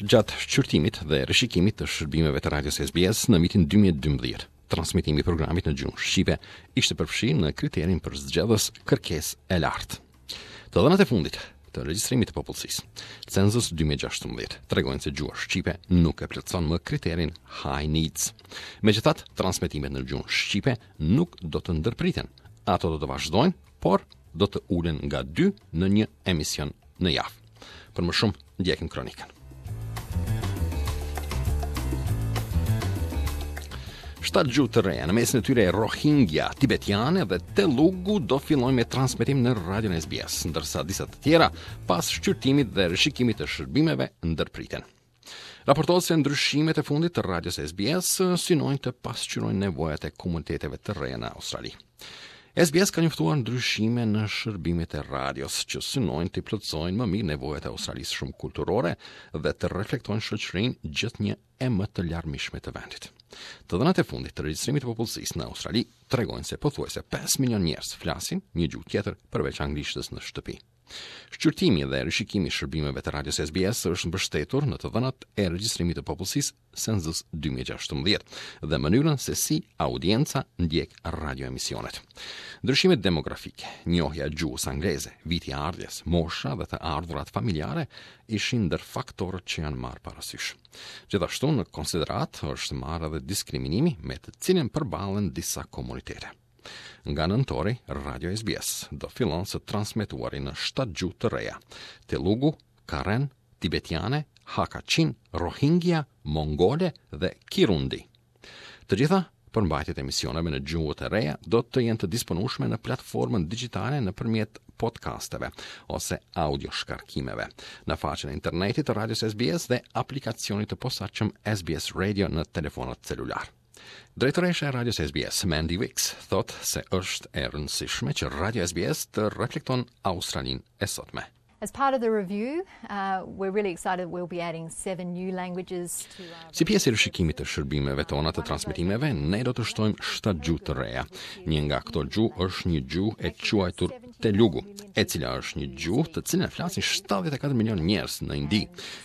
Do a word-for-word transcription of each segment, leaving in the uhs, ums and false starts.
Gjatë shqyrtimit dhe rishikimit të shërbimeve të radios S B S në vitin dy mijë e dymbëdhjetë, transmitimi i programit në gjuhën shqipe ishte përfshirë në kriterin për zgjedhës kërkesë e lartë. Të dhënat e fundit të regjistrimit të popullsisë, Census dy mijë e gjashtëmbëdhjetë, tregojnë se gjuha shqipe nuk e plotëson më kriterin High Needs. Megjithatë, transmetimet në gjuhën shqipe nuk do të ndërpriten. Ato do të vazhdojnë, por do të ulen nga dy në një emision në javë. Për më shumë, ndjekim kronikën. Shtatë gjuhë të reja, në mesin e tyre Rohingya, tibetiane dhe Telugu, do fillojnë me transmetim në radion S B S, ndërsa disa të tjera pas shqyrtimit dhe rishikimit të shërbimeve ndërpriten. Raportohet se ndryshimet e fundit të radios S B S synojnë të pasqyrojnë nevojat e komuniteteve të reja në Australi. S B S ka njoftuar ndryshime në shërbimet e radios që synojnë të plotësojnë më mirë nevojat e Australisë shumë kulturore dhe të reflektojnë shoqërinë gjithnjë e më të larmishme të vendit. Të dhënat e fundit të regjistrimit të popullsisë në Australi tregojnë se pothuajse pesë milion njerëz flasin një gjuhë tjetër përveç anglishtës në shtëpi. Shqyrtimi dhe rishikimi i shërbimeve të radios S B S është mbështetur në të dhënat e regjistrimit të popullsisë Census dy mijë e gjashtëmbëdhjetë dhe mënyrën se si audienca ndjek radioemisionet. Ndryshimet demografike, njohja e gjuhës angleze, viti i ardhjes, mosha dhe të ardhurat familjare ishin ndër faktorët që janë marrë parasysh. Gjithashtu, në konsideratë është marrë edhe diskriminimi me të cilin përballen disa komunitete. Nga nëntori, Radio S B S do fillon së transmetuari në shtatë gjuhë të reja: Telugu, Karen, Tibetiane, Hakha Chin, Rohingya, Mongole dhe Kirundi. Të gjitha përmbajtjet e emisioneve në gjuhët e reja do të jenë të disponueshme në platformën digjitale nëpërmjet podcasteve ose audio shkarkimeve në faqen e internetit të radios S B S dhe aplikacionit të posaçëm S B S Radio në telefonat celular. Drejtoresha e radios S B S, Mandy Wicks, thot se është e rëndësishme që Radio S B S të reflekton Australinë e sotme. As part of the review, uh, we're really excited we'll be adding seven new languages to our Si pjesë e rishikimit të shërbimeve tona të transmetimeve, ne do të shtojmë shtatë gjuhë të reja. Një nga këto gjuhë është një gjuhë e quajtur Telugu, e cila është një gjuhë të cilën flasin shtatëdhjetë e katër milion njerëz në Indi.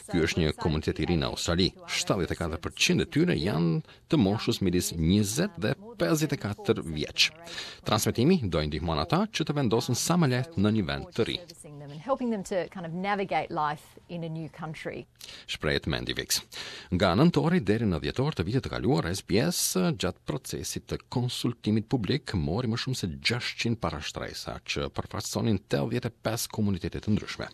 Ky është një komunitet i ri në Australi. shtatëdhjetë e katër përqind e tyre janë të moshës midis njëzet dhe pesëdhjetë e katër vjeç. Transmetimi do i ndihmon ata që të vendosen sa më lehtë në një vend të ri. Servicing them and helping them to kind of navigate life in a new country. Shprehet Mandy Wicks. Nga nëntori deri në dhjetor të vitit të kaluar, S B S gjatë procesit të konsultimit publik mori më shumë se gjashtëqind parashtresa që përfaqësonin tetëdhjetë e pesë komunitete të ndryshme.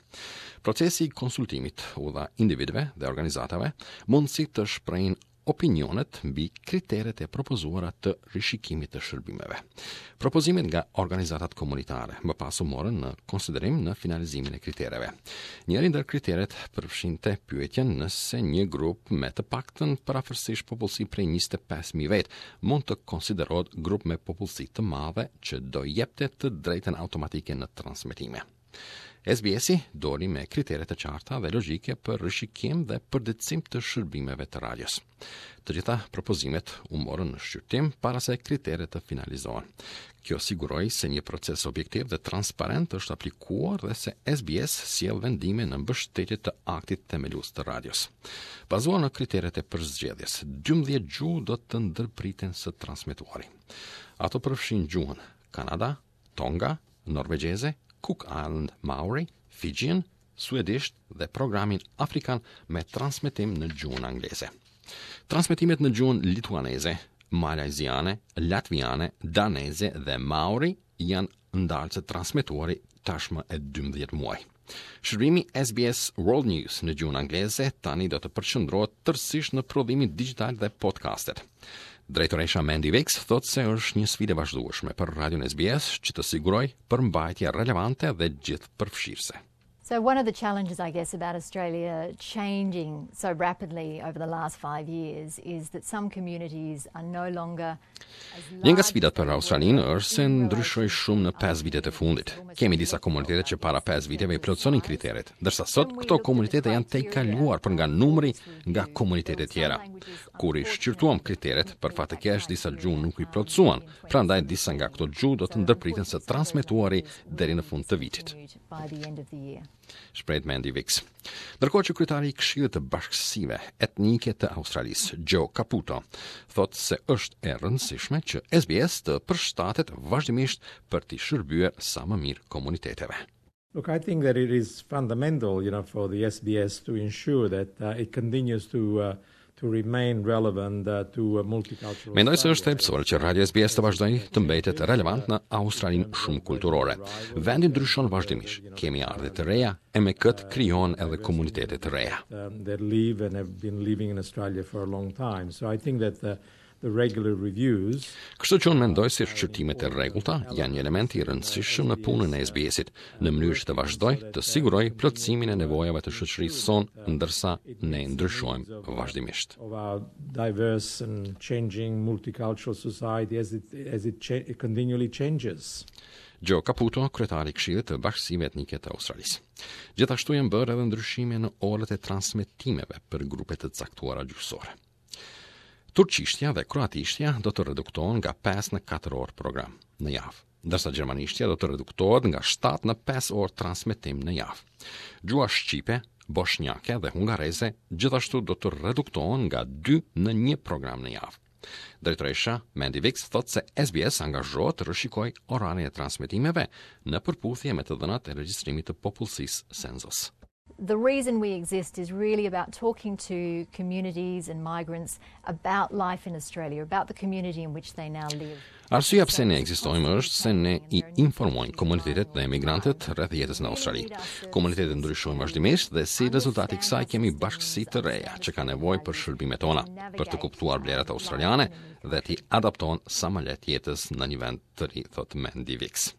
Procesi i konsultimit u dha individëve dhe organizatave mundësi të shprehin opinionet mbi kriteret e propozuara të rishikimit të shërbimeve. Propozimet nga organizatat komunitare më pas u morën në konsiderim në finalizimin e kritereve. Njëri ndër kriteret përfshinte pyetjen nëse një grup me të paktën përafërsisht popullsi prej njëzet e pesë mijë vet mund të konsiderohet grup me popullsi të madhe që do jepte të drejtën automatike në transmetime. S B S-i doli me kritere të qarta dhe logjike për rishikim dhe përditësim të shërbimeve të radios. Të gjitha propozimet u morën në shqyrtim para se kriteret të finalizohen. Kjo siguroi se një proces objektiv dhe transparent është aplikuar dhe se S B S sjell vendime në mbështetje të aktit themelues të radios. Bazuar në kriteret e përzgjedhjes, dymbëdhjetë gjuhë do të ndërpriten së transmetuari. Ato përfshin gjuhën Kanada, Tonga, Norvegjeze, Cook Island Maori, Fijian, suedisht dhe programin afrikan me transmetim në gjuhën angleze. Transmetimet në gjuhën lituaneze, malajziane, latviane, daneze dhe maori janë ndalë së transmetuari tashmë e dymbëdhjetë muaj. Shërbimi S B S World News në gjuhën angleze tani do të përqendrohet tërësisht në prodhimin digital dhe podcastet. Drejtoresha Mandy Wicks thot se është një sfidë e vazhdueshme për radion S B S që të sigurojë përmbajtje relevante dhe gjithëpërfshirëse. So one of the challenges, I guess, about Australia changing so rapidly over the last five years is that some communities are no longer Një nga sfidat për Australinë është se ndryshoi shumë në pesë vitet e fundit. Kemi disa komunitete që para pesë viteve i plotësonin kriteret, ndërsa sot këto komunitete janë tejkaluar për nga numri nga komunitete tjera. Kur i shqyrtuam kriteret, për fat të keq, disa gjuhë nuk i plotësuan, prandaj disa nga këto gjuhë do të ndërpriten së transmetuari deri në fund të vitit. by the end of the year. Shprehet Mandy Wicks. Ndërkohë që kryetari i Këshillit të Bashkësive Etnike të Australisë, Joe Caputo, thotë se është e rëndësishme që S B S të përshtatet vazhdimisht për t'i shërbyer sa më mirë komuniteteve. Look, I think that it is fundamental, you know, for the S B S to ensure that uh, it continues to uh, to remain relevant uh, to a multicultural Mendoj se është thelbësore që Radio S B S të vazhdojë të mbetet relevant në Australinë shumëkulturore. Vendi ndryshon vazhdimisht. Kemi ardhje të reja e me këtë krijohen edhe komunitete të reja. Um, that live and have been living in Australia for a long time. So I think that the the regular reviews Kështu që unë mendoj se shqyrtimet e rregullta janë një element i rëndësishëm në punën e S B S-it, në mënyrë që të vazhdojë të sigurojë plotësimin e nevojave të shoqërisë sonë, ndërsa ne ndryshojmë vazhdimisht. Of our diverse and changing multicultural society as it as it, cha it continually changes. Joe Caputo, kryetari i Këshillit të Bashkësive Etnike të Australisë. Gjithashtu janë bërë edhe ndryshime në orët e transmetimeve për grupe të caktuara gjuhësore. Turqishtja dhe kroatishtja do të reduktohen nga pesë në katër orë program në javë, ndërsa gjermanishtja do të reduktohet nga shtatë në pesë orë transmetim në javë. Gjuha shqipe, boshnjake dhe hungareze gjithashtu do të reduktohen nga dy në një program në javë. Drejtoresha Mandy Wicks thotë se S B S angazhohet të rishikojë orarin e transmetimeve në përputhje me të dhënat e regjistrimit të popullsisë Census. The reason we exist is really about talking to communities and migrants about life in Australia, about the community in which they now live. Arsyeja pse ne ekzistojmë është se ne i informojmë komunitetet dhe emigrantët rreth jetës në Australi. Komunitetet ndryshojnë vazhdimisht dhe si rezultat i kësaj kemi bashkësi të reja që kanë nevojë për shërbimet tona, për të kuptuar vlerat australiane dhe t'i adaptohen sa më lehtë jetës në një vend të ri, thotë Mandy Wicks.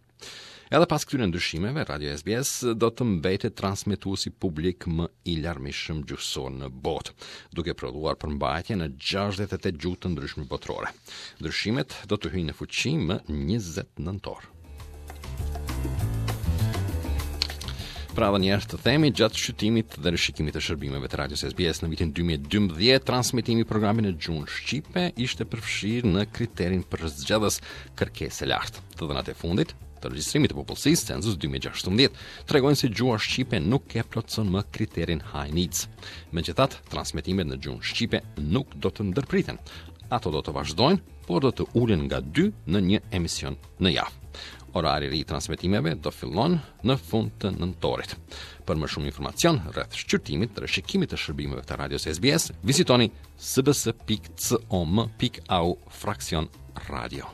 Edhe pas këtyre ndryshimeve, Radio S B S do të mbetet transmetuesi publik më i larmishëm gjuhësor në botë, duke prodhuar përmbajtje në gjashtëdhjetë e tetë gjuhë të ndryshme botërore. Ndryshimet do të hyjnë në fuqi më njëzet nëntor. Pra edhe njëherë të themi, gjatë shqyrtimit dhe rishikimit të shërbimeve të radios S B S në vitin dy mijë e dymbëdhjetë, transmitimi i programit në gjuhën shqipe ishte përfshirë në kriterin përzgjedhës kërkesë e lartë. Të dhënat e fundit të regjistrimit të popullsisë Census dy mijë e gjashtëmbëdhjetë tregojnë se gjuha shqipe nuk e plotëson më kriterin high needs. Megjithatë, transmetimet në gjuhën shqipe nuk do të ndërpriten. Ato do të vazhdojnë, por do të ulen nga dy në një emision në javë. Orari i ri i transmetimeve do fillon në fund të nëntorit. Për më shumë informacion rreth shqyrtimit dhe rishikimit të shërbimeve të radios S B S, vizitoni s b s pikë com pikë a u fraksion radio.